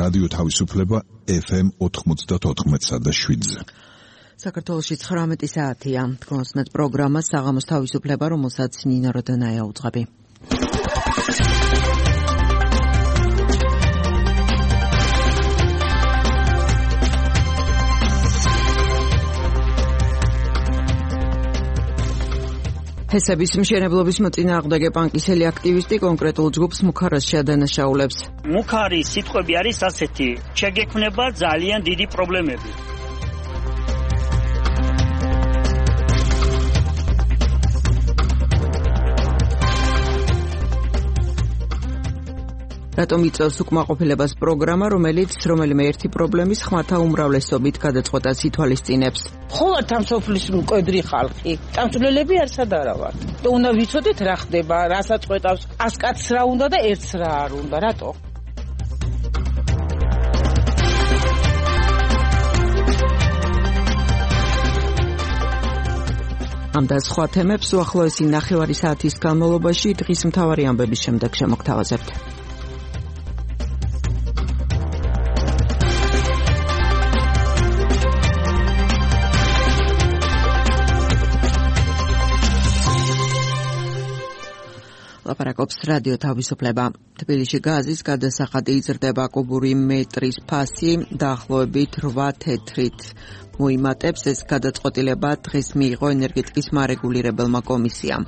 რადიო თავისუფლება FM 94.7-ზე. საქართველოში 19 საათია. თქვენსმეთ პროგრამა საღამოს თავისუფლება, რომელსაც ნინო როდონაია უძღვები. ჰესების მშენებლობის მოწინააღმდეგე პანკისელი აქტივისტი კონკრეტულ ჯგუფს მუქარას შეადანაშაულებს. მუქარის სიტყვები არის ასეთი: შეგექმნება ძალიან დიდი პრობლემები. რატომ იწევს უკმაყოფილებას პროგრამა, რომელიც რომელიმე ერთი პრობლემის ხმათა უმრავლესობით გადაწყვეტას ითვალისწინებს? ხوارთ ამ სოფლის მკვდრი ხალხი. წამსვლელები არსად არა ვართ. და უნდა ვიცოდეთ რა ხდება, რასაც ყვეტავს. 100 კაცს რა უნდა და ერთს რა არ უნდა, რატო? ამ და სხვა თემებს უახლოესი ნახევარი საათის განმავლობაში დღის მთავარი ამბების შემდეგ შემოგთავაზებთ. ლაპარაკობს რადიო თავისუფლება. თბილისში გაზის გადასახადი იზრდება, კუბური მეტრის ფასი დაახლოებით 8 თეთრით მოიმატებს. ეს გადაწყვეტილება დღეს მიიღო ენერგეტიკის მარეგულირებელმა კომისიამ.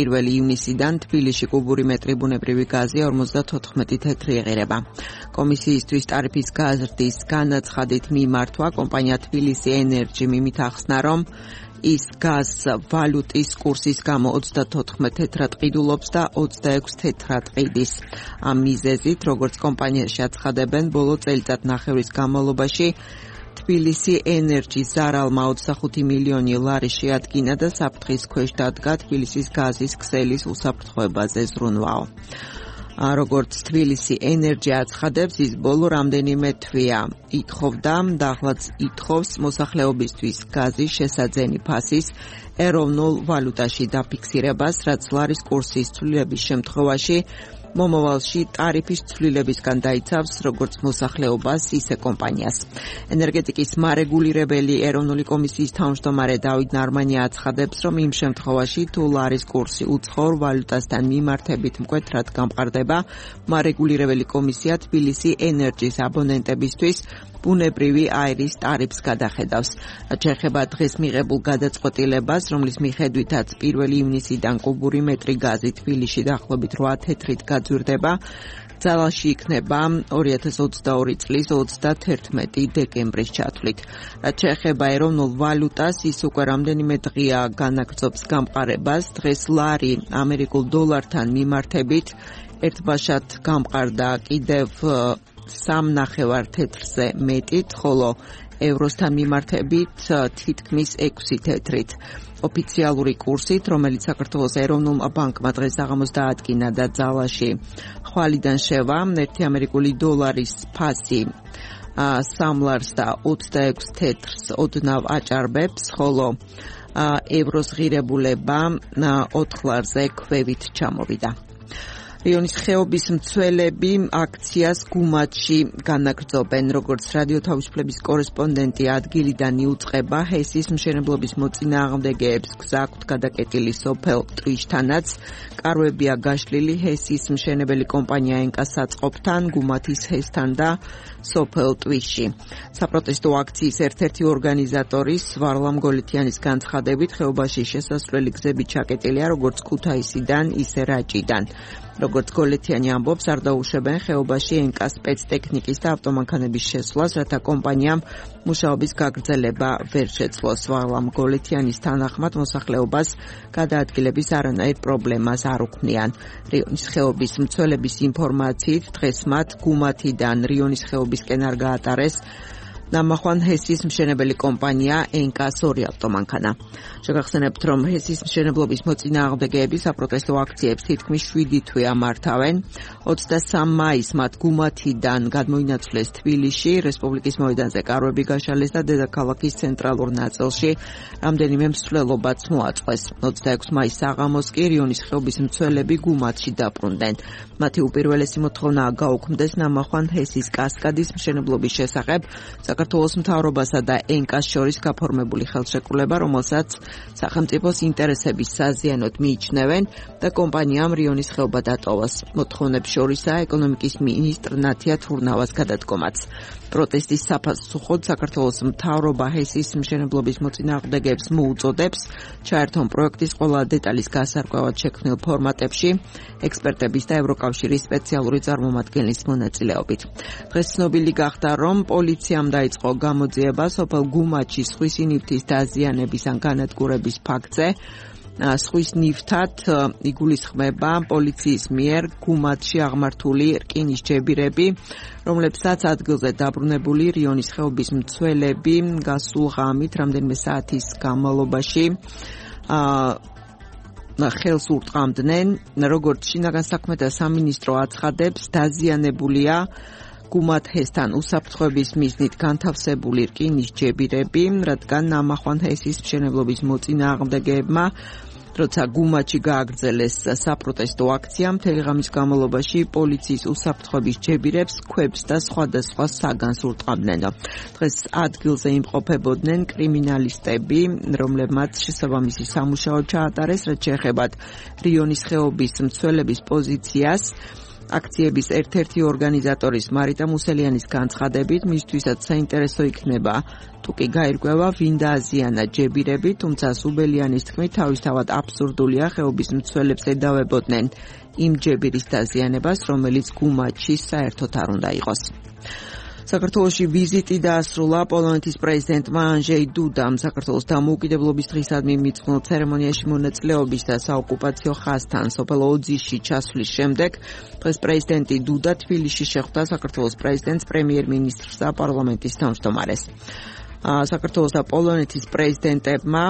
1 ივნისიდან თბილისში კუბური მეტრი ბუნებრივი გაზი 54 თეთრი ეღირება. კომისიისთვის ტარიფის გაზრდის განაცხადით მიმართვა კომპანია თბილისი ენერჯი მიმით ახსნა, რომ ის გაზ ვალუტის კურსის გამო 34 თეთრად ყიდულობს და 26 თეთრად ყიდის. ამ მიზეზით, როგორც კომპანიაში აცხადებენ, ბოლო წელიწადნახევრის განმავლობაში თბილისი ენერჯი ზარალმა 25 მილიონი ლარი შეადგინა და საფრთხის ქვეშ დადგა თბილისის გაზის ქსელის უსაფრთხოებაზე ზრუნვაო. როგორც თბილისი ენერჯი აცხადებს, ის ბოლო რამდენიმე თვეა ითხოვდა და ახლაც ითხოვს მოსახლეობისთვის გაზის შესაძენი ფასის ეროვნულ ვალუტაში დაფიქსირებას, რაც ლარის კურსის ცვლილების შემთხვევაში მომავალში ტარიფის ცვლილებისგან დაიცავს როგორც მოსახლეობას, ისე კომპანიას. ენერგეტიკის მარეგულირებელი ეროვნული კომისიის თავმჯდომარე დავით ნარმანია აცხადებს, რომ იმ შემთხვევაში თუ ლარის კურსი უცხოურ ვალუტასთან მიმართებით მკვეთრად გამყარდება, მარეგულირებელი კომისია თბილისი ენერჯის აბონენტებისთვის ბუნებრივი აირის ტარიფს გადახედავს. რაც შეეხება დღეს მიღებულ გადაწყვეტილებას, რომლის მიხედვითაც 1 ივნისიდან კუბური მეტრი გაზი თბილისში დაახლოებით 8 თეთრით გაძვირდება, ძალაში იქნება 2022 წლის 31 დეკემბრის ჩათვლით. რაც შეეხება ეროვნულ ვალუტას, ის უკვე რამდენიმე დღეა განაგრძობს გამყარებას. დღეს ლარი ამერიკულ დოლართან მიმართებით ერთბაშად გამყარდა კიდევ 3.5 თეთრზე მეტით, ხოლო ევროსთან მიმართებით თითქმის 6 თეთრით. ოფიციალური კურსით, რომელიც საქართველოს ეროვნულმა ბანკმა დღეს საღამოს დაადგინა და ძალაში ხვალიდან შევა, ერთი ამერიკული დოლარის ფასი 3 ლარს და 26 თეთრს ოდნავ აჭარბებს, ხოლო ევროს ღირებულება 4 ლარზე ქვევით ჩამოვიდა. რიონის ხეობის მცველები აქციას გუმათში განაგრძობენ. როგორც რადიო თავისუფლების კორესპონდენტი ადგილიდან იუწყება, ჰესის მშენებლობის მოწინააღმდეგეებს გზა აქვთ გადაკეტილი სოფელ ტვიშთანაც. კარვებია გაშლილი ჰესის მშენებელი კომპანია ენკას საწყობთან, გუმათის ჰესთან და სოფელ ტვიში. საპროტესტო აქციის ერთ-ერთი ორგანიზატორის ვარლამ გოლეთიანის განცხადებით, ხეობაში შესასვლელი გზები ჩაკეტილია როგორც ქუთაისიდან, ისე რაჭიდან. როგორც გოლეთიანი ამბობს, არ დაუშვებენ ხეობაში ენკას სპეცტექნიკის და ავტომანქანების შესვლას, რათა კომპანიამ მუშაობის გაგრძელება ვერ შეძლოს. ვარლამ გოლეთიანის თანახმად მოსახლეობას გადაადგილების არანაირ პრობლემას არ უქმნიან. რიონის ხეობის მცველების ინფორმაციით, დღეს მათ გუმათიდან რიონის ხეობისკენ არ გაატარეს ნამახვან ჰესის მშენებელი კომპანია ენკას 2 ავტომანქანა. შეგახსენებთ, რომ ჰესის მშენებლობის მოწინააღმდეგეები საპროტესტო აქციებს თითქმის 7 თვე ამართავენ. 23 მაისს მათ გუმათიდან გადმოინაცვლეს თბილისში, რესპუბლიკის მოედანზე კარვები გაშალეს და დედაქალაქის ცენტრალურ ნაწილში რამდენიმე მსვლელობაც მოაწყვეს. 26 მაისს საღამოს კი რიონის ხეობის მცველები გუმათში დაბრუნდნენ. მათი უპირველესი მოთხოვნაა გაუქმდეს ნამახვან ჰესის კასკადის მშენებლობის შესახებ საქართველოს მთავრობასა და ენკას შორის გაფორმებული ხელშეკრულება, რომელსაც სახელმწიფოს ინტერესების საზიანოდ მიიჩნევენ და კომპანიამ რიონის ხეობა დატოვოს. მოთხოვნებს შორისაა ეკონომიკის მინისტრ ნათია თურნავას გადადგომაც. პროტესტის საფასუხოდ საქართველოს მთავრობა ჰესის მშენებლობის მოწინააღმდეგეებს მოუწოდებს ჩაერთონ პროექტის ყველა დეტალის გასარკვევად შექმნილ ფორმატებში ექსპერტების და ევროკავშირის სპეციალური წარმომადგენლის მონაწილეობით. დღეს ცნობილი გახდა, რომ პოლიციამ დაიწყო გამოძიება სოფელ გუმათში სხვისი ნივთის დაზიანების ან განადგურების ფაქტზე. სხვის ნივთად იგულისხმება პოლიციის მიერ გუმათში აღმართული რკინის ჯებირები, რომლებსაც ადგილზე დაბრუნებული რიონის ხეობის მცველები გასულ ღამით რამდენიმე საათის განმავლობაში ხელს ურტყამდნენ. როგორც შინაგან საქმეთა სამინისტრო აცხადებს, დაზიანებულია გუმათ ჰესთან უსაფრთხოების მიზნით განთავსებული რკინის ჯებირები, რადგან ნამახვან ჰესის მშენებლობის მოწინააღმდეგეებმა როცა გუმათში გააგრძელეს საპროტესტო აქცია, მთელი ღამის განმავლობაში პოლიციის უსაფრთხოების ჯებირებს, ქვებს და სხვადასხვა საგანს ურტყამდნენ. დღეს ადგილზე იმყოფებოდნენ კრიმინალისტები, რომლებმაც შესაბამისი სამუშაო ჩაატარეს, რაც შეეხება რიონის ხეობის მცველების პოზიციას. აქციების ერთ-ერთი ორგანიზატორის მარიტა მუსელიანის განცხადებით, მისთვისაც საინტერესო იქნება თუ კი გაირკვევა ვინ დააზიანა ჯებირები, თუმცა სუბელიანის თქმით, თავისთავად აბსურდულია ხეობის მცველებს ედავებოდნენ იმ ჯებირის დაზიანებას, რომელიც გუმათში საერთოდ არ უნდა იყოს. საქართველოში ვიზიტი დაასრულა პოლონეთის პრეზიდენტმა ანჟეი დუდამ. საქართველოს დამოუკიდებლობის დღისადმი მიწყნილ ცერემონიაში მონაწილეობის და საოკუპაციო ხაზთან სოფელ ოძიში ჩასვლის შემდეგ დღეს პრეზიდენტი დუდა თბილისში შეხვდა საქართველოს პრეზიდენტს, პრემიერ-მინისტრს და პარლამენტის თავმჯდომარეს. საქართველოს და პოლონეთის პრეზიდენტებმა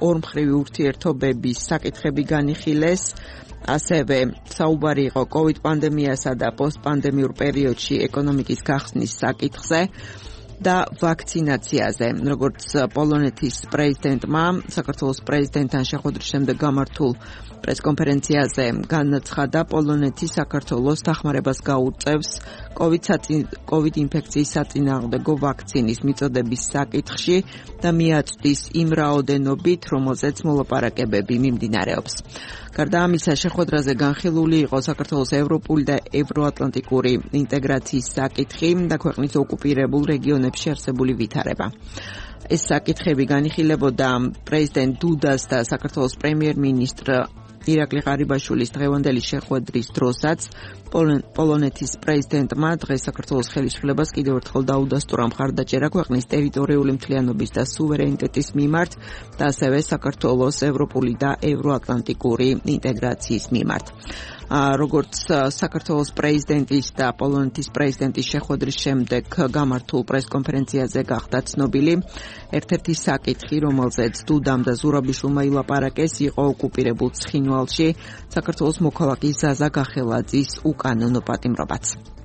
ორმხრივი ურთიერთობების საკითხები განიხილეს. ასევე საუბარი იყო COVID პანდემიასა და პოსტპანდემიურ პერიოდში ეკონომიკის გახსნის საკითხზე და ვაქცინაციაზე. როგორც პოლონეთის პრეზიდენტმა საქართველოს პრეზიდენტთან შეხვედრის შემდეგ გამართულ პრესკონფერენციაზე განაცხადა, პოლონეთი საქართველოს დახმარებას გაუწევს COVID ინფექციის საწინააღმდეგო ვაქცინის მიწოდების საკითხში და მიაწვდის იმ რაოდენობით, რომელზეც მოლაპარაკებები მიმდინარეობს. გარდა ამისა, შეხვედრაზე განხილული იყო საქართველოს ევროპული და ევროატლანტიკური ინტეგრაციის საკითხი და ქვეყნის ოკუპირებულ რეგიონებში არსებული ვითარება. ეს საკითხები განიხილებოდა პრეზიდენტ დუდას და საქართველოს პრემიერ-მინისტრ ირაკლი ღარიბაშვილის დღევანდელი შეხვედრის დროსაც. პოლონეთის პრეზიდენტმა დღეს საქართველოს ხელისუფლებას კიდევ ერთხელ დაუდასტურა მხარდაჭერა ქვეყნის ტერიტორიული მთლიანობის და სუვერენიტეტის მიმართ და ასევე საქართველოს ევროპული და ევროატლანტიკური ინტეგრაციის მიმართ. როგორც საქართველოს პრეზიდენტის და პოლონეთის პრეზიდენტის შეხვედრის შემდეგ გამართულ პრესკონფერენციაზე გახდა ცნობილი, ერთ-ერთი საკითხი, რომელზეც დუდამ და ზურაბიშვილმა ილაპარაკეს, იყო ოკუპირებულ ცხინვალში საქართველოს მოქალაქის ზაზა გახელაძის უკანონო პატიმრობაც.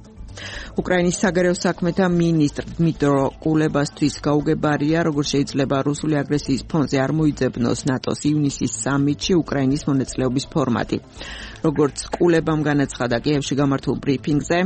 უკრაინის საგარეო საქმეთა მინისტრ დმიტრო კულებასთვის გაუგებარია, როგორ შეიძლება რუსული აგრესიის ფონზე არ მოიძებნოს ნატოს ივნისის სამიტში უკრაინის მონაწილეობის ფორმატი. როგორც კულებამ განაცხადა კიევში გამართულ ბრიფინგზე,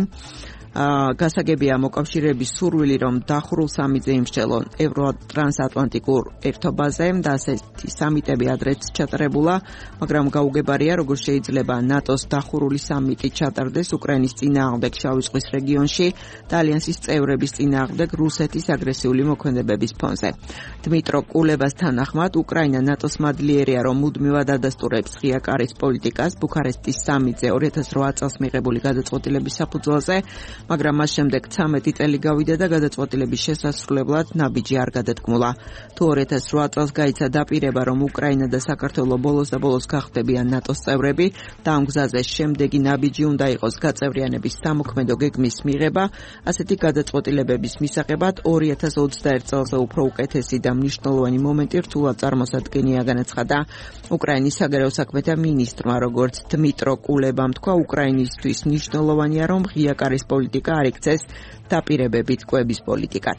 გასაგებია მოკავშირეების სურვილი, რომ დახურულ სამიტზე იმსჯელონ ევროტრანსატლანტიკურ ერთობაზე და ასეთი სამიტები ადრეც ჩატარებულა, მაგრამ გაუგებარია, როგორ შეიძლება ნატოს დახურული სამიტი ჩატარდეს უკრაინის წინააღმდეგ შავი ზღვის რეგიონში და ალიანსის წევრების წინააღმდეგ რუსეთის აგრესიული მოქმედებების ფონზე. დმიტრო კულებას თანახმად, უკრაინა ნატოს მადლიერია, რომ მუდმივად ადასტურებს ღია კარის პოლიტიკას ბუქარესტის სამიტზე 2008 წელს მიღებული გადაწყვეტილების საფუძველზე, მაგრამ მას შემდეგ 13 წელი გავიდა და გადაწყვეტილების შესასრულებლად ნაბიჯი არ გადადგმულა. თუ 2008 წელს გაიცა დაპირება, რომ უკრაინა და საქართველო ბოლოს და ბოლოს გახდებიან ნატოს წევრები და ამ გზაზე შემდეგი ნაბიჯი უნდა იყოს გაწევრიანების სამოქმედო გეგმის მიღება, ასეთი გადაწყვეტილებების მისაღებად 2021 წელზე უფრო უკეთესი და მნიშვნელოვანი მომენტი რთულად წარმოსადგენია, განაცხადა უკრაინის საგარეო საქმეთა მინისტრმა, როგორც დმიტრო კულებამ თქვა, უკრაინისთვის მნიშვნელოვანია, რომ ღია კარის პოლიტიკა არ იქცეს დაპირებებით კვების პოლიტიკად.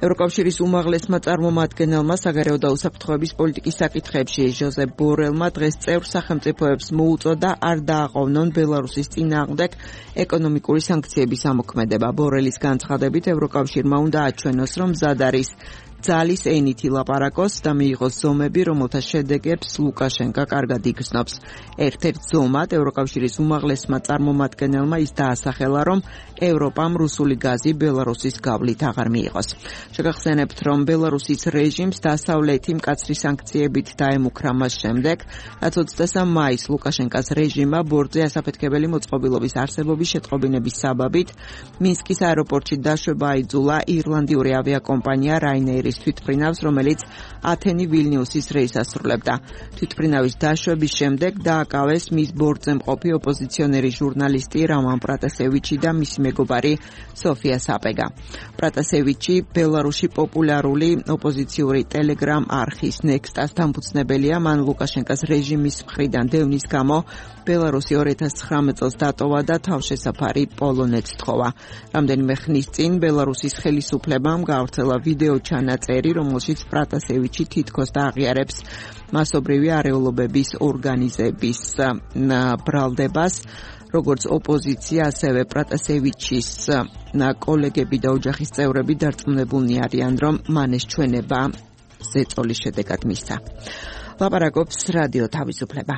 ევროკავშირის უმაღლესმა წარმომადგენელმა საგარეო და უსაფრთხოების პოლიტიკის საკითხებში ჟოზეფ ბორელმა დღეს წევრ სახელმწიფოებს მოუწოდა არ დააყოვნონ ბელარუსის წინააღმდეგ ეკონომიკური სანქციების ამოქმედება. ბორელის განცხადებით ევროკავშირმა უნდა აჩვენოს, რომ მზად არის ძალის ენით ილაპარაკოს და მიიღოს ზომები, რომელთა შედეგებს ლუკაშენკა კარგად იგრძნობს. ერთ-ერთ ზომად ევროკავშირის უმაღლესმა წარმომადგენელმა ის დაასახელა, რომ ევროპამ რუსული გაზი ბელარუსის გავლით აღარ მიიღოს. შეგახსენებთ, რომ ბელარუსის რეჟიმს დასავლეთი მკაცრი სანქციებით დაემუქრა მას შემდეგ, რაც 23 მაისს ლუკაშენკას რეჟიმმა ბორტზე ასაფეთქებელი მოწყობილობის არსებობის შეტყობინების საბაბით მინსკის აეროპორტში დაშვება აიძულა ირლანდიური ავიაკომპანია Ryanair თვითმფრინავს, რომელიც ათენი ვილნიუსის რეისს ასრულებდა. თვითმფრინავის დაშვების შემდეგ დააკავეს მის ბორტზე მყოფი ოპოზიციონერი ჟურნალისტი რამან პრატასევიჩი და მისი მეგობარი სოფია საპეგა. პრატასევიჩი ბელარუსში პოპულარული ოპოზიციური ტელეგრამ არხის Next-ას დამფუძნებელია, მან ლუკაშენკას რეჟიმის მხრიდან დევნის გამო ბელარუსი 2019 წელს დატოვა და თავშესაფარი პოლონეთს თხოვა. რამდენიმე ხნის წინ ბელარუსის ხელისუფლებამ გაავრცელა ვიდეო ჩანაწერი, რომელშიც პრატასევიჩი თითქოს დააღიარებს მასობრივი არეულობების ორგანიზების ბრალდებას, როგორც ოპოზიცია, ასევე პრატასევიჩის კოლეგები და ოჯახის წევრები დარწმუნებულნი არიან, რომ მან ეს ჩვენება ზეწოლის შედეგად მისცა. ლაპარაკობს რადიო თავისუფლება.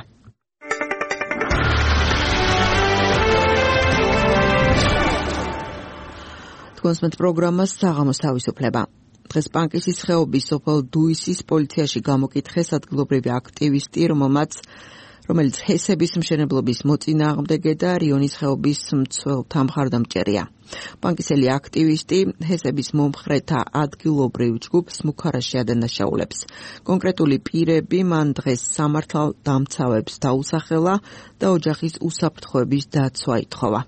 თქვენს პროგრამას საღამოს თავისუფლება. დღეს პანკისის ხეობის სოფელ დუისის პოლიციაში გამოკითხეს ადგილობრივი აქტივისტი, რომელიც ჰესების მშენებლობის მოწინააღმდეგე და რიონის ხეობის მცველთა მხარდამჭერია. პანკისელი აქტივისტი ჰესების მომხრეთა ადგილობრივ ჯგუფს მუქარაში ადანაშაულებს. კონკრეტული პირები მან დღეს სამართალდამცავებს დაუსახელა და ოჯახის უსაფრთხოების დაცვა ითხოვა.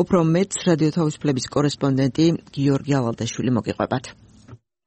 უფრო მეტს რადიო თავისუფლების კორესპონდენტი გიორგი ალალდაშვილი მოგიყვებათ.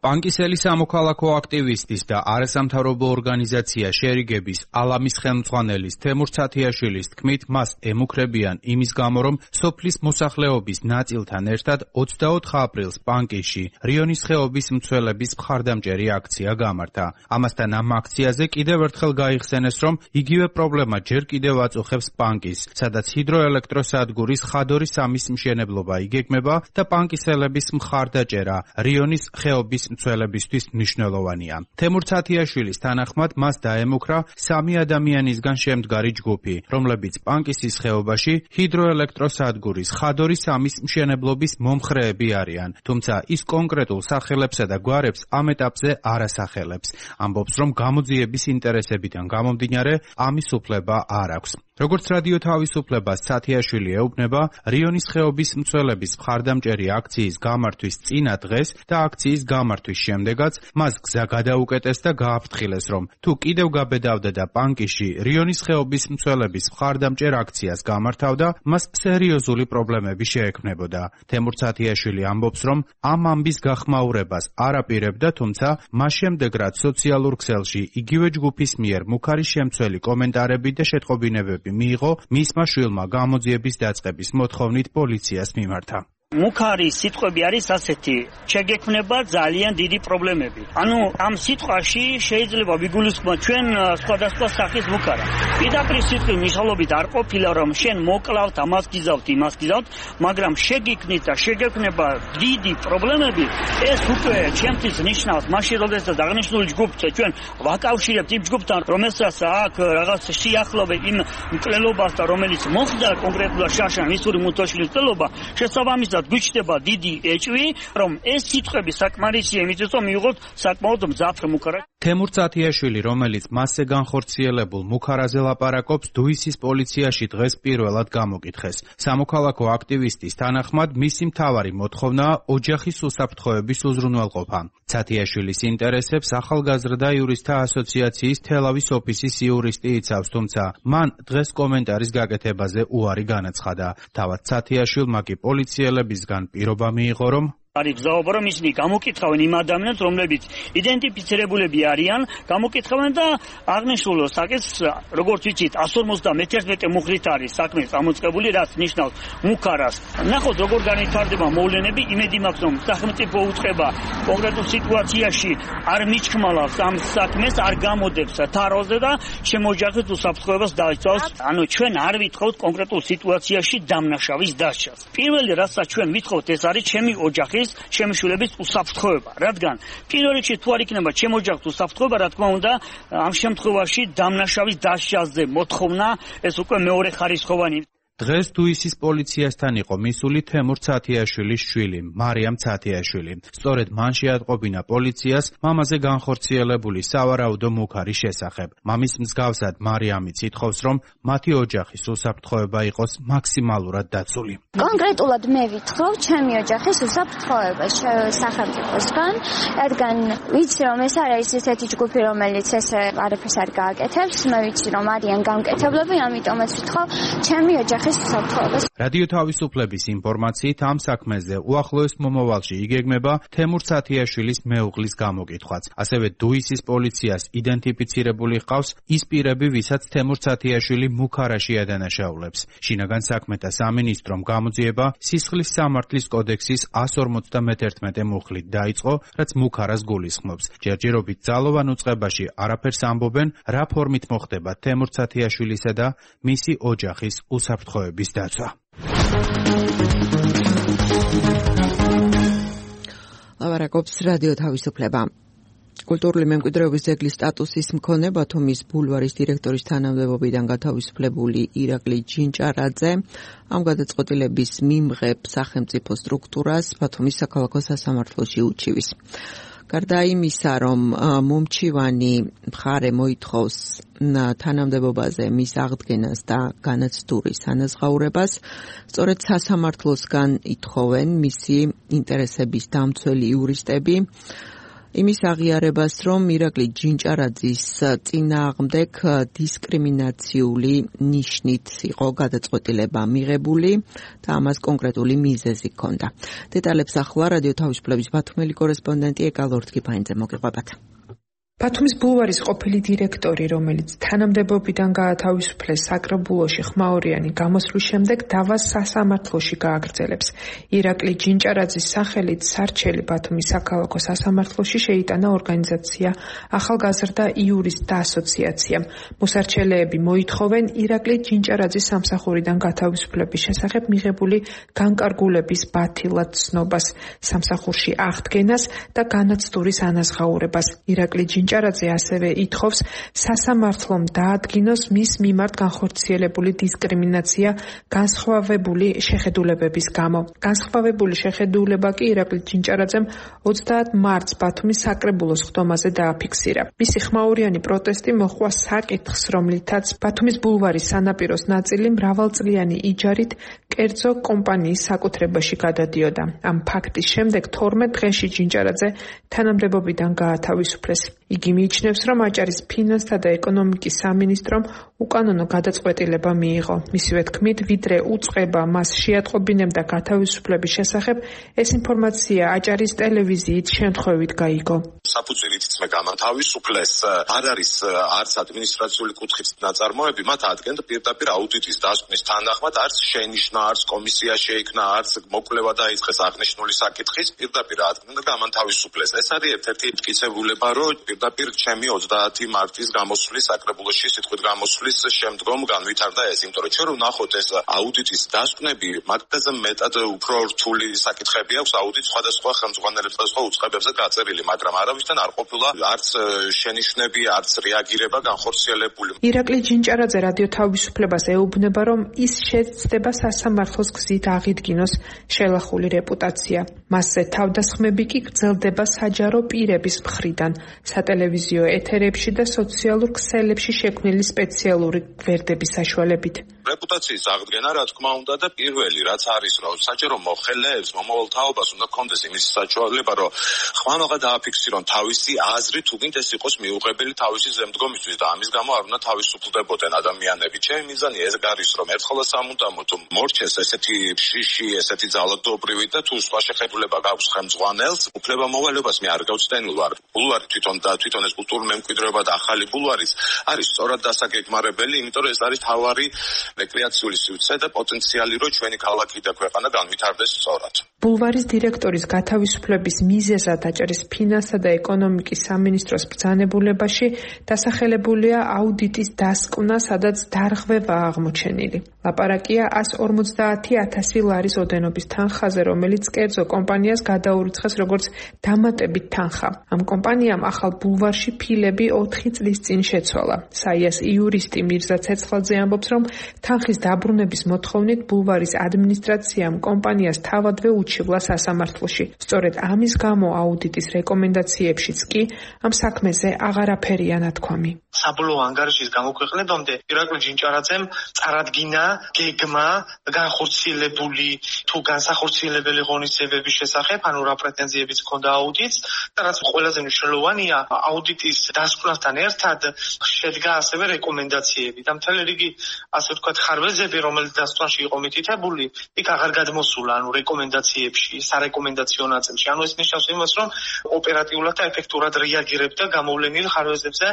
პანკისელი სამოქალაქო აქტივისტის და არასამთავრობო ორგანიზაცია შერიგების ალამის ხელმძღვანელის თემურ ცათიაშვილის თქმით, მას ემუქრებიან იმის გამო, რომ სოფლის მოსახლეობის ნაწილთან ერთად 24 აპრილს პანკისში რიონის ხეობის მცველების მხარდამჭერი აქცია გამართა. ამასთან ამ აქციაზე კიდევ ერთხელ გაიხსენეს, რომ იგივე პრობლემა ჯერ კიდევ აწუხებს პანკისს, სადაც ჰიდროელექტროსადგურის ხადორის 3-ის მშენებლობა იგეგმება და პანკისელების მხარდაჭერა რიონის ხეობის მცველებისთვის მნიშვნელოვანია. თემურ ცათიაშვილის თანახმად მას დაემუქრა 3 ადამიანისგან შემდგარი ჯგუფი, რომლებიც პანკისის ხეობაში ჰიდროელექტროსადგურის ხადორის 3-ის მშენებლობის მომხრეები არიან, თუმცა ის კონკრეტულ სახელებსა და გვარებს ამ ეტაპზე არ ასახელებს. ამბობს, რომ გამოძიების ინტერესებიდან გამომდინარე ამის უფლება არ აქვს. როგორც რადიო თავისუფლებას ცათიაშვილი ეუბნება, რიონის ხეობის მცველების მხარდამჭერი აქციის გამართვის წინა დღეს და აქციის გამართვის შემდეგაც მას გზა გადაუკეტეს და გააფრთხილეს, რომ თუ კიდევ გაბედავდა და პანკისში რიონის ხეობის მცველების მხარდამჭერ აქციას გამართავდა, მას სერიოზული პრობლემები შეექმნებოდა. თემურ ცათიაშვილი ამბობს, რომ ამ ამბის გახმაურებას არ აპირებდა, თუმცა მას შემდეგ რაც სოციალურ ქსელში იგივე ჯგუფის მიერ მუქარი შემცველი კომენტარები და შეტყობინებები მიიღო, მისმა შვილმა გამოძიების დაწყების მოთხოვნით პოლიციას მიმართა. მუქარი სიტყვები არის ასეთი: შეგექმნება ძალიან დიდი პრობლემები. ანუ ამ სიტყვაში შეიძლება ვიგულისხმოთ ჩვენ სხვადასხვა სახის მუქარა. პირდაპირ სიტყვის მნიშვნელობით არ ყოფილა, რომ შენ მოკლავთ, ამას გიზავთ, იმას გიზავთ, მაგრამ შეგიქმნით და შეგექმნება დიდი პრობლემები, ეს უკვე ჩემთვის ნიშნავს მაშინ, როდესაც აღნიშნული ჯგუფს ჩვენ ვაკავშირებთ იმ ჯგუფთან, რომელსაც აქ რაღაც შეახლოვე იმ მკვლელობას და რომელიც მოხდა კონკრეტულად შაშან მისური მუთოშლის მკვლელობა, შესაბამისად გვიჩნდება დიდი ეჭვი, რომ ეს სიტყვები საკმარისია იმისთვის, რომ მიიღოთ საკმაოდ მძაფრ მუქარა. თემურ ცათიაშვილი, რომელიც მასზე განხორციელებულ მუქარაზე ლაპარაკობს, დუისის პოლიციაში დღეს პირველად გამოკითხეს. სამოქალაქო აქტივისტის თანახმად, მისი მთავარი მოთხოვნაა ოჯახის უსაფრთხოების უზრუნველყოფა. ცათიაშვილის ინტერესებს ახალგაზრდა იურისტთა ასოციაციის თელავის ოფისის იურისტი იცავს, თუმცა მან დღეს კომენტარის გაკეთებაზე უარი განაცხადა. თავად ცათიაშვილმა კი პოლიციელებისგან პირობა მიიღო, რომ არის გზაობა, რომ ისინი გამოკითხავენ იმ ადამიანებს, რომლებიც იდენტიფიცირებულები არიან, გამოკითხავენ და აღნიშნულ საკითხს, როგორც ვიცით, 151 მუხლით არის საქმე წამოწყებული, რაც ნიშნავს მუქარას. ნახოთ, როგორ განვითარდება მოვლენები, იმედი მაქვს, რომ სახელმწიფო უწყება კონკრეტულ სიტუაციაში არ მიჩქმალავს ამ საქმეს, არ გამოდებს თაროზე და შემოჯახებს უსაფრთხოებას დაიცავს. ანუ ჩვენ არ ვითხოვთ კონკრეტულ სიტუაციაში დამნაშავის დასჯას. პირველი რასაც ჩვენ ვითხოვთ, ეს არის ჩემი ოჯახის შემიშულების უსაფრთხოება, რადგან პირველ რიგში თუ არ იქნება ჩემ ოჯახს უსაფრთხოება, რა თქმა უნდა, ამ შემთხვევაში დამნაშავის დასჯაზე მოთხოვნა ეს უკვე მეორე ხარისხოვანი. დღეს დუისის პოლიციასთან იყო მისული თემურ ცათიაშვილის შვილი, მარიამ ცათიაშვილი. სწორედ მან შეატყობინა პოლიციას მამაზე განხორციელებული სავარაუდო მუქარის შესახებ. მამის მსგავსად მარიამიც ითხოვს, რომ მათი ოჯახის უსაფრთხოება იყოს მაქსიმალურად დაცული. კონკრეტულად მე ვითხოვ ჩემი ოჯახის უსაფრთხოება სახელმწიფოსგან, რადგან ვიცი, რომ ეს არის ესეთი ჯგუფი, რომელიც ესე არაფერს არ გააკეთებს, მე ვიცი, რომ არიან გამკეთებლები, ამიტომაც ვითხოვ ჩემი ოჯახის რადიო თავისუფლების ინფორმაციით ამ საქმეზე უახლოეს მომავალში იგეგმება თემურ ცათიაშვილის მეუღლის გამოკითხვაც. ასევე დუისის პოლიციას იდენტიფიცირებული ჰყავს ის პირები, ვისაც თემურ ცათიაშვილი მუქარაში ადანაშაულებს. შინაგან საქმეთა სამინისტრომ გამოძიება სისხლის სამართლის კოდექსის 151 მუხლით დაიწყო, რაც მუქარას გულისხმობს. ჯერჯერობით ძალოვან უწყებაში არაფერს ამბობენ, რა ფორმით მოხდება თემურ ცათიაშვილისა და მისი ოჯახის უსაფრთხოების დაცვა. ლაპარაკობს რადიო თავისუფლება. კულტურული მემკვიდრეობის ძეგლის სტატუსის მქონე ბათუმის ბულვარის დირექტორის თანამდებობიდან გათავისუფლებული ირაკლი ჯინჭარაძე ამ გადაწყვეტილების მიმღებ სახელმწიფო სტრუქტურას ბათუმის საქალაქო სასამართლოში უჩივის. გარდა იმისა, რომ მომჩივანი მხარე მოითხოვს თანამდებობაზე მის აღდგენას და განაცდურის ანაზღაურებას, სწორედ სასამართლოსგან ითხოვენ მისი ინტერესების დამცველი იურისტები იმის აღიარებას, რომ ირაკლი ჯინჭარაძის წინააღმდეგ დისკრიმინაციული ნიშნით იყო გადაწყვეტილება მიღებული და ამას კონკრეტული მიზეზი ჰქონდა. დეტალებს ახლა რადიო თავისუფლების ბათუმელი კორესპონდენტი ეკა ლორთქიფანიძე მოგიყვებათ. ბათუმის ბულვარის ყოფილი დირექტორი, რომელიც თანამდებობიდან გაათავისუფლეს საკრებულოში ხმაურიანი გამოსვლის შემდეგ დავას სასამართლოში გააგრძელებს. ირაკლი ჯინჭარაძის სახელით სარჩელი ბათუმის საქალაქო სასამართლოში შეიტანა ორგანიზაცია ახალგაზრდა იურისტთა ასოციაციამ. მოსარჩელეები მოითხოვენ ირაკლი ჯინჭარაძის სამსახურიდან გათავისუფლების შესახებ მიღებული განკარგულების ბათილად ცნობას, სამსახურში აღდგენას და განაცდურის ანაზღაურებას. ირაკლი ჯინჭარაძე ასევე ითხოვს სასამართლომ დაადგინოს მის მიმართ განხორციელებული დისკრიმინაცია განსხვავებული შეხედულებების გამო. განსხვავებული შეხედულება კი ირაკლი ჯინჭარაძემ 30 მარტს ბათუმის საკრებულოს ხდომაზე დააფიქსირა. მისი ხმაურიანი პროტესტი მოჰყვა საკითხს, რომლითაც ბათუმის ბულვარის სანაპიროს ნაწილი მრავალწლიანი იჯარით კერძო კომპანიის საკუთრებაში გადადიოდა. ამ ფაქტის შემდეგ 12 დღეში ჯინჭარაძე თანამდებობიდან გაათავისუფლეს. იგი მიიჩნევს, რომ აჭარის ფინანსთა და ეკონომიკის სამინისტრომ უკანონო გადაწყვეტილება მიიღო. მისივე თქმით, ვიდრე უწყება მას შეატყობინებდა გათავისუფლების შესახებ, ეს ინფორმაცია აჭარის ტელევიზიით შემთხვევით გაიგო. საფუძვლით მე გამათავისუფლეს, არ არის არც ადმინისტრაციული კუთხით ნაწარმოები, მათ ადგენთ პირდაპირ აუდიტის დასკვნის თანახმად, არც შენიშნა, არც კომისია შეიქმნა, არც მოკვლევა დაიწყეს აღნიშნული საკითხის, პირდაპირ ადგენთ გამათავისუფლეს. ეს არის ერთ-ერთი მტკიცებულება, რომ პირდაპირ ჩემი 30 მარტის გამოსვლის საკრებულოში სიტყვით გამოსვლის შემდგომ განვითარდა ეს, იმიტომ რომ ჩვენ ვნახოთ ეს აუდიტის დასკვნები, მაგაზე მეტად უფრო რთული საკითხები აქვს აუდიტ სხვადასხვა ხელმძღვანელებს და სხვა უწყებებზე გაწერილი, მაგრამ არავისთან არ ყოფილა არც შენიშვნები, არც რეაგირება განხორციელებული. ირაკლი ჯინჭარაძე რადიო თავისუფლებას ეუბნება, რომ ის შეცდება სასამართლოს გზით აღიდგინოს შელახული რეპუტაცია. მასზე თავდასხმები კი გრძელდება საჯარო პირების მხრიდან, სატელევიზიო ეთერებში და სოციალურ ქსელებში შექმნილი სპეციალური გვერდების საშუალებით. რეპუტაციის აღდგენა, რა თქმა უნდა, და პირველი რაც არის, რომ საჯარო მოხელეებს, მომავალ თაობას უნდა კონდეს იმის საშუალება, რომ ხმამაღა დააფიქსირონ თავისი აზრი, თუნდაც ეს იყოს მიუღებელი თავისი ზემდგომისთვის და ამის გამო არ უნდა თავისუფლდებოდნენ ადამიანები. ჩემი მიზანი ეს არის, რომ ერთხელ სამუდამოდ მორჩეს ესეთი შიში, ესეთი ძალადობრივი და თუ სხვა შეხედულება გაქვს ხელმძღვანელს, უფლებამოვალეობას მე არ გავცდენილ ვარ. ბულვარი თვითონ ეს კულტურული მემკვიდრეობა და ახალი ბულვარის არის სწორად დასაგეგმარებელი, იმიტომ რომ ეს არის თავარი რეკრეაციული სივრცე და პოტენციალი, რომ ჩვენი ქალაქი და ქვეყანა განვითარდეს სწორად. ბულვარის დირექტორის გათავისუფლების მიზეზად აჭარის ფინანსთა და ეკონომიკის სამინისტროს ბრძანებულებაში დასახელებულია აუდიტის დასკვნა, სადაც დარღვევა აღმოჩენილი. ლაპარაკია 150,000 ლარის ოდენობის თანხაზე, რომელიც კერძო კომპანიას გადაურიცხეს როგორც დამატებით თანხა. ამ კომპანიამ ახალ ბულვარში ფილები 4 წლის წინ შეცვალა. საიას იურისტი მირზა ცეცხლაძე ამბობს, რომ თანხის დაბრუნების მოთხოვნით ბულვარის ადმინისტრაციამ კომპანიას თავადვე უჩივლა სასამართლოში. სწორედ ამის გამო აუდიტის რეკომენდაციებშიც კი ამ საქმეზე აღარაფერია ნათქვამი. საბოლოო ანგარიშის გამოქვეყნებამდე ირაკლი ჯინჭარაძემ წარადგინა გეგმა განხორციელებული თუ განსახორციელებელი ღონისძიებების შესახებ, ანუ რა პრეტენზიებიც ჰქონდა აუდიტს და რაც ყველაზე მნიშვნელოვანია, აუდიტის დასკვნასთან ერთად შედგა ასევე რეკომენდაციები და მთელი რიგი ასე ვთქვათ ხარვეზები, რომელიც დასკვნაში იყო მითითებული, იქ აღარ გადმოსულა, ანუ რეკომენდაციებში, სარეკომენდაციო ნაწილში. ანუ ეს ნიშნავს იმას, რომ ოპერატიულად და ეფექტურად რეაგირებდა გამოვლენილ ხარვეზებზე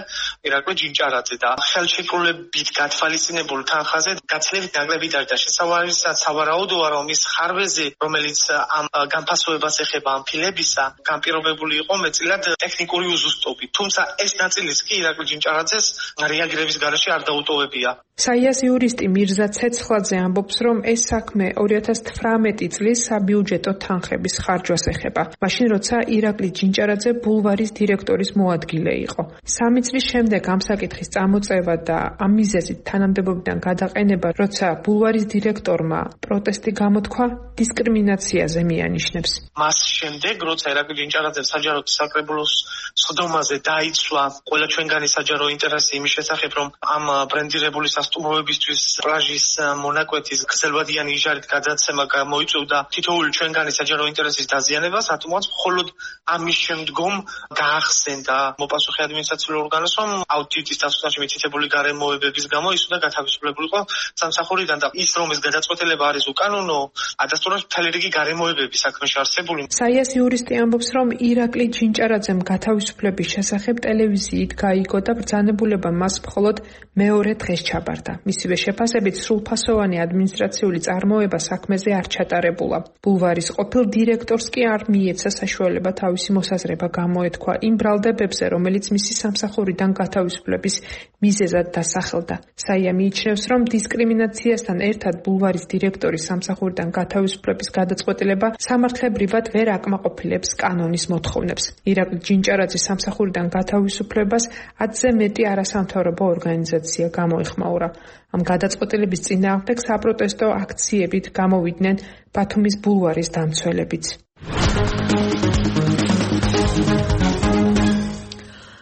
ირაკლი ჯინჭარაძე და ხელშეკრულებით გათვალისწინებულ თანხაზე გაცილებით ნაკლებით არის და შესავალისაც სავარაუდოა, რომ ის ხარვეზი, რომელიც ამ განფასოებას ეხება ამ ფილებისა, განპირობებული იყო მეტწილად ტექნიკური უზუსტობით. თუმცა ეს ნაწილიც კი ირაკლი ჯინჭარაძეს რეაგირების გარეშე არ დაუტოვებია. საიას იურისტი მირზა ცეცხლაძე ამბობს, რომ ეს საქმე 2018 წლის საბიუჯეტო თანხების ხარჯვას ეხება. მაშინ როცა ირაკლი ჯინჭარაძე ბულვარის დირექტორის მოადგილე იყო. 3 წლის შემდეგ ამ საკითხის წამოწევა და ამ მიზეზით თანამდებობიდან გადაყენება, როცა ბულვარის დირექტორმა პროტესტი გამოთქვა, დისკრიმინაციაზე მიანიშნებს. მას შემდეგ, როცა ირაკლი ჯინჭარაძე საჯარო საკრებულოს სხდომაზე დაიცვა ყველა ჩვენგანი საჯარო ინტერესი იმის შესახებ, რომ ამ ბრენდირებული სასტუმროებისთვის პლაჟის მონაკვეთის გრძელვადიანი იჟარით გადაცემა გამოიწვევდა თითოეული ჩვენგანი საჯარო ინტერესის დაზიანებას, რატომაც მხოლოდ ამის შემდგომ გაახსენდა მოპასუხე ადმინისტრაციულ ორგანოს, რომ აუდიტის დასკვნაში მითითებული გარემოებების გამო ის უნდა გათავისუფლებულიყო სამსახურიდან და ის რომ ეს გადაწყვეტილება არის უკანონო, ადასტურებს მთელი რიგი გარემოებები საქმეში არსებული. საიას იურისტი ამბობს, რომ ირაკლი ჯინჭარაძემ გათავისუფლების შესახებ ტელევიზიით გაიგო და ბრძანებულება მას მხოლოდ მეორე დღეს ჩაბარდა. მისივე შეფასებით სრულფასოვანი ადმინისტრაციული წარმოება საქმეზე არ ჩატარებულა. ბულვარის ყოფილ დირექტორს კი არ მიეცა საშუალება თავისი მოსაზრება გამოეთქვა იმ ბრალდებებზე, რომელიც მისი სამსახურიდან გათავისუფლების მიზეზად დასახელდა. საია მიიჩნევს, რომ დისკრიმინაციასთან ერთად ბულვარის დირექტორის სამსახურიდან გათავისუფლების გადაწყვეტილება სამართლებრივად ვერ აკმაყოფილებს კანონის მოთხოვნებს. ირაკლი ჯინჭარაძის სამსახურიდან გათავისუფლებას 10-ზე მეტი არასამთავრობო ორგანიზაცია გამოიხმაურა. ამ გადაწყვეტილების წინააღმდეგ საპროტესტო აქციებით გამოვიდნენ ბათუმის ბულვარის დამცველებიც.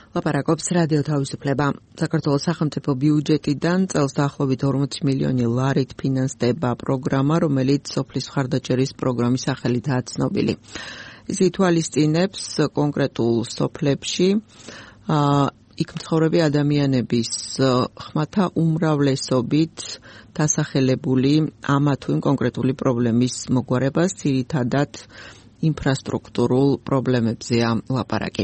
ლაპარაკობს რადიო თავისუფლება. საქართველოს სახელმწიფო ბიუჯეტიდან წელს დაახლოებით 40 მილიონი ლარით ფინანსდება პროგრამა, რომელიც სოფლის მხარდაჭერის პროგრამის სახელითაა ცნობილი. ის ითვალისწინებს კონკრეტულ სოფლებში იქ მცხოვრები ადამიანების ხმათა უმრავლესობით დასახელებული ამა თუ იმ კონკრეტული პრობლემის მოგვარებას, ძირითადად ინფრასტრუქტურულ პრობლემებზეა ლაპარაკი.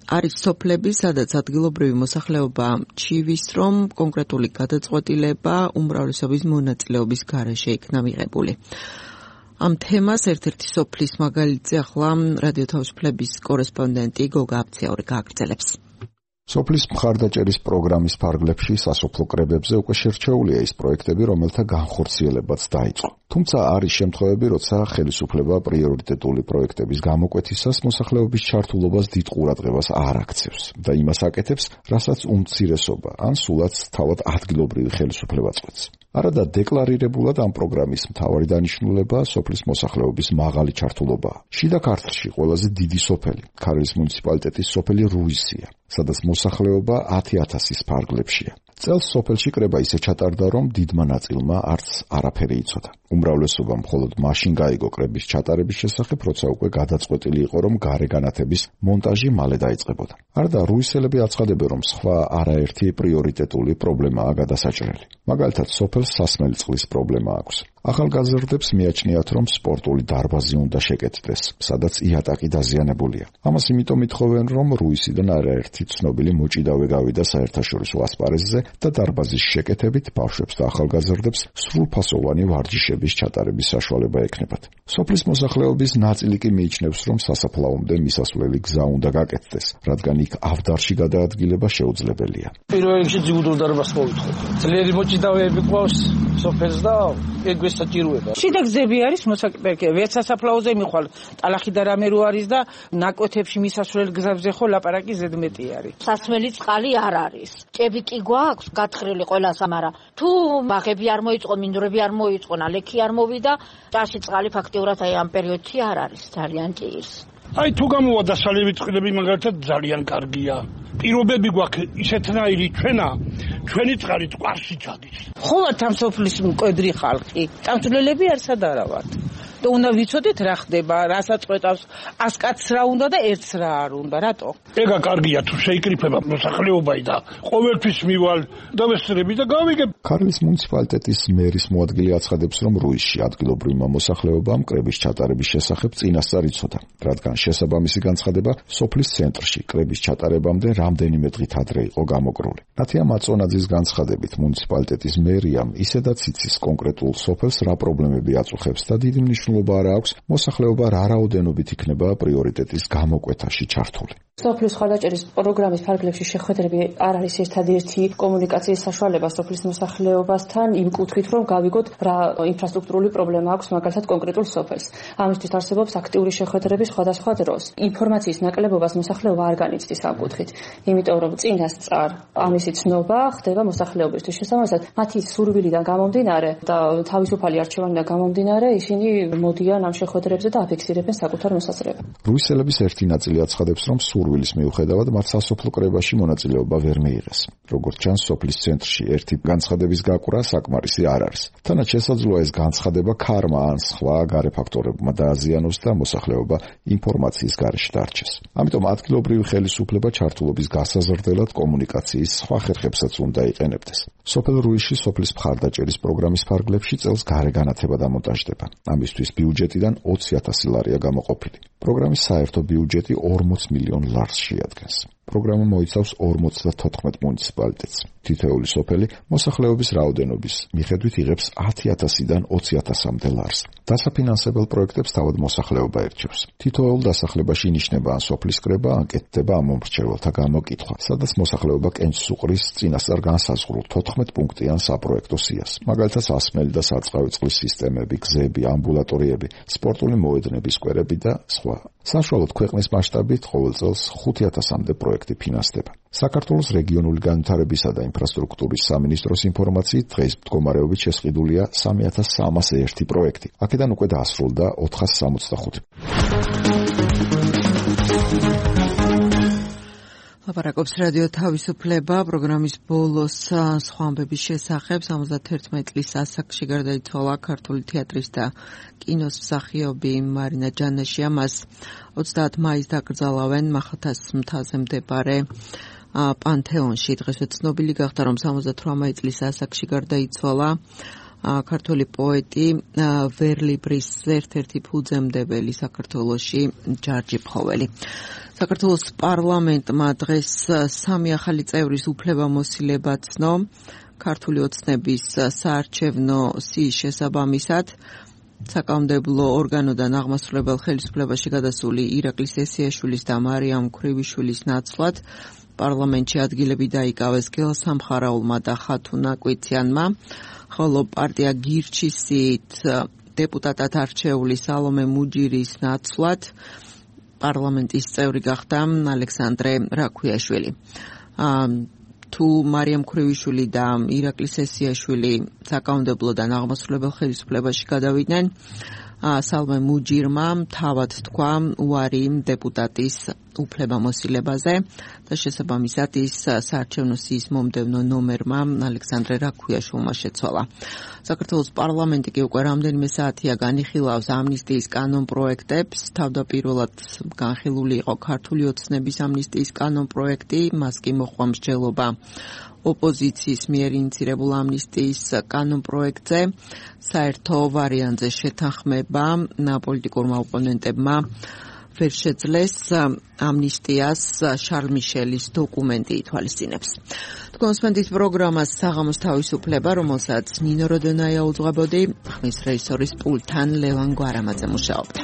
არის სოფლები, სადაც ადგილობრივი მოსახლეობა ჩივის, რომ კონკრეტული გადაწყვეტილება უმრავლესობის მონაწილეობის გარეშე იქნა მიღებული. ამ თემას ერთ-ერთი სოფლის მაგალითზე ახლა რადიო თავისუფლების კორესპონდენტი გოგა აფციაური გააგრძელებს. სოფლის მხარდაჭერის პროგრამის ფარგლებში სასოფლო კრებებზე უკვე შერჩეულია ის პროექტები, რომელთა განხორციელებაც დაიწყო. თუმცა არის შემთხვევები, როცა ხელისუფლება პრიორიტეტული პროექტების გამოკვეთისას მოსახლეობის ჩართულობას დიდ ყურადღებას არ აქცევს და იმას აკეთებს, რასაც უმცირესობა ან სულაც თავად ადგილობრივი ხელისუფლება წყვეტს. არადა დეკლარირებულად ამ პროგრამის მთავარი დანიშნულებაა სოფლის მოსახლეობის მაღალი ჩართულობაა. შიდა ქართლში ყველაზე დიდი სოფელი ქარელის მუნიციპალიტეტის სოფელი რუისია, სადაც მოსახლეობა 10,000-ის ფარგლებშია. წელს სოფელში კრება ისე ჩატარდა, რომ დიდმა ნაწილმა არც არაფერი იცოდა. უმრავლესობა მხოლოდ მაშინ გაიგო კრების ჩატარების შესახებ, როცა უკვე გადაწყვეტილი იყო, რომ გარეგანათების მონტაჟი მალე დაიწყებოდა. არდა რუისელები აცხადებენ, რომ სხვა არაერთი პრიორიტეტული პრობლემაა გადასაჭრელი. მაგალითად, სოფელს სასმელი წყლის პრობლემა აქვს. ახალგაზრდებს მიაჩნიათ, რომ სპორტული დარბაზი უნდა შეკეთდეს, სადაც იატაკი დაზიანებულია. ამას იმიტომ ითხოვენ, რომ რუისიდან არაერთი ცნობილი მოჭიდავე გავიდა საერთაშორისო ასპარეზზე და დარბაზის შეკეთებით ბავშვებს და ახალგაზრდებს სრულფასოვანი ვარჯიშების ჩატარების საშუალება ექნებათ. სოფლის მოსახლეობის ნაწილი კი მიიჩნევს, რომ სასაფლაომდე მისასვლელი გზა უნდა გაკეთდეს, რადგან იქ ავდარში გადაადგილება შეუძლებელია. პირველ რიგში ძიუდურ დარბაზს მოვითხოვ. ძლიერი მოჭიდავეები ყავს სოფელს და ეგ საჭიროება. შიდა გზები არის მოსაკეთებელი. ვერც სასაფლაოზე მიხვალ, ტალახი და რამე რო არის და ნაკვეთებში მისასვლელ გზებზე ხო ლაპარაკი ზედმეტი არის. სასმელი წყალი არ არის. ჭები კი გვაქვს გათხრილი ყველას, მაგრამ თუ ბაღები არ მოიწყო, მინდვრები არ მოიწყო, ნალექი არ მოვიდა, ჭაში წყალი ფაქტიურად აი ამ პერიოდში არ არის ძალიან ჭირს. აი თუ გამოვა დასალევი წყლები მაგალითად ძალიან კარგია. პირობები გვაქვს ისეთნაირი ჩვენი წყალი წყარში ჩადის. ხოათ ამ სოფლის მკვედრი ხალხი, წამსვლელები არსად არა ვართ. და უნდა ვიცოდეთ რა ხდება, რასაც წვეტავს, 100 კაცს რა უნდა და ერთს რა არ უნდა, რატო? ეგა კარგია თუ შეიკრიფება მოსახლეობაი და ყოველთვის მივალ და ვესწრები და გავიგებ. ქართლის მუნიციპალიტეტის მერის მოადგილე აცხადებს, რომ რუისში ადგილობრივმა მოსახლეობამ კრების ჩატარების შესახებ წინასწარ იცოდა, რადგან შესაბამისი განცხადება სოფლის ცენტრში კრების ჩატარებამდე რამდენიმე დღით ადრე იყო გამოკრული. ნათია მაწონაძის განცხადებით, მუნიციპალიტეტის მერიამ ისედაც იცის კონკრეტულ სოფელს რა პრობლემები აწუხებს და დიდი მნიშვნელობა არ აქვს მოსახლეობა რა რაოდენობით იქნება პრიორიტეტის გამოკვეთაში ჩართული. სოფლის ხარდაჭერის პროგრამის ფარგლებში შეხვედრები არ არის ერთადერთი კომუნიკაციის საშუალება სოფლის მოსახლეობასთან იმ კუთხით, რომ გავიგოთ რა ინფრასტრუქტურული პრობლემა აქვს მაგალითად კონკრეტულ სოფელს. ამისთვის არსებობს აქტიური შეხვედრები სხვადასხვა დროს. ინფორმაციის ნაკლებობას მოსახლეობა არ განიცდის ამ კუთხით, იმიტომ რომ წინასწარ ამისი ცნობა ხდება მოსახლეობისთვის. შესაბამისად, მათი სურვილიდან გამომდინარე და თავისუფალი არჩევანიდან გამომდინარე, ისინი მოდიან ამ შეხვედრებზე და აფიქსირებენ საკუთარ მოსაზრებას. რუისელების ერთი ნაწილი აცხადებს, რომ სურვილის მიუხედავად მათ სასოფლო კრებაში მონაწილეობა ვერ მიიღეს. როგორც ჩანს, სოფლის ცენტრში ერთი განცხადების გაკვრა საკმარისი არ არის. თანაც შესაძლოა ეს განცხადება ქარმა ან სხვა გარე ფაქტორებმა დააზიანოს და მოსახლეობა ინფორმაციის გარეშე დარჩეს. ამიტომ ადგილობრივი ხელისუფლება ჩართულობის გასაზრდელად კომუნიკაციის სხვა ხერხებსაც უნდა იყენებდეს. სოფელ რუისში სოფლის მხარდაჭერის პროგრამის ფარგლებში წელს გარეგანათება დამონტაჟდება. ამისთვის ბიუჯეტიდან 20,000 ლარია გამოყოფილი. პროგრამის საერთო ბიუჯეტი 40 მილიონ ლარს შეადგენს. პროგრამა მოიცავს 54 მუნიციპალიტეტს. თითოეული სოფელი მოსახლეობის რაოდენობის მიხედვით იღებს 10,000-დან 20,000-მდე ლარს. დასაფინანსებელ პროექტებს თავად მოსახლეობა ერჩევს. თითოეულ დასახლებაში ინიშნება ან სოფლის კრება, ან კეთდება ამომრჩეველთა გამოკითხვა, სადაც მოსახლეობა კენჭს უყრის წინასწარ განსაზღვრულ 14 პუნქტიან საპროექტო სიას. მაგალითად, სასმელი და სარწყავი წყლის სისტემები, გზები, ამბულატორიები, სპორტული მოედნების სკვერები და სხვა. საშუალოდ ქვეყნის მასშტაბით ყოველ წელს 5,000-მდე პროექტი ფინანსდება. საქართველოს რეგიონული განვითარებისა და ინფრასტრუქტურის სამინისტროს ინფორმაციით დღეს მდგომარეობით შესყიდულია 3,301 პროექტი. აქედან უკვე დაასრულდა 465. ლაპარაკობს რადიო თავისუფლება პროგრამის ბოლოს სხვა ამბების შესახებ. 71 წლის ასაკში გარდაიცვალა ქართული თეატრის და კინოს მსახიობი მარინა ჯანაშია. მას 30 მაისს დაკრძალავენ მახათას მთაზე მდებარე პანთეონში. დღესვე ცნობილი გახდა, რომ 78 წლის ასაკში გარდაიცვალა ქართული პოეტი ვერლიბრის ერთ-ერთი ფუძემდებელი საქართველოში ჯარჯი ფხოველი. საქართველოს პარლამენტმა დღეს 3 ახალი წევრის უფლებამოსილება ცნო ქართული ოცნების საარჩევნო სიის შესაბამისად. საკანონმდებლო ორგანოდან აღმასრულებელ ხელისუფლებაში გადასული ირაკლი სესიაშვილის და მარიამ ქრივიშვილის ნაცვლად პარლამენტში ადგილები დაიკავეს გელსამხარაულმა და ხათუნა კვიციანმა, ხოლო პარტია გირჩისით დეპუტატად არჩეული სალომე მუჯირის ნაცვლად პარლამენტის წევრი გახდა ალექსანდრე რაქვიაშვილი. თუ მარიამ ქრივიშვილი და ირაკლი სესიაშვილი საკანონმდებლოდან აღმასრულებელ ხელისუფლებაში გადავიდნენ, სალმე მუჯირმა თავად თქვა უარი დეპუტატის უფლებამოსილებაზე და შესაბამისად ის საარჩევნო სიის მომდევნო ნომერმა ალექსანდრე რაქვიაშვილმა შეცვალა. საქართველოს პარლამენტი კი უკვე რამდენიმე საათია განიხილავს ამნისტიის კანონპროექტებს. თავდაპირველად განხილული იყო ქართული ოცნების ამნისტიის კანონპროექტი, მას კი მოჰყვა მსჯელობა ოპოზიციის მიერ ინიცირებულ ამნისტიის კანონპროექტზე. საერთო ვარიანტზე შეთანხმება პოლიტიკურმა ოპონენტებმა ვერ შეძლეს ამნისტიას შარლ მიშელის დოკუმენტი ითვალისწინებს. კონსპენდის პროგრამას საღამოს თავისუფლება, რომელსაც ნინო როდონაია უძღვებოდი, ხმის რეჟისორის პულტთან ლევან გვარამაძე მუშაობდა.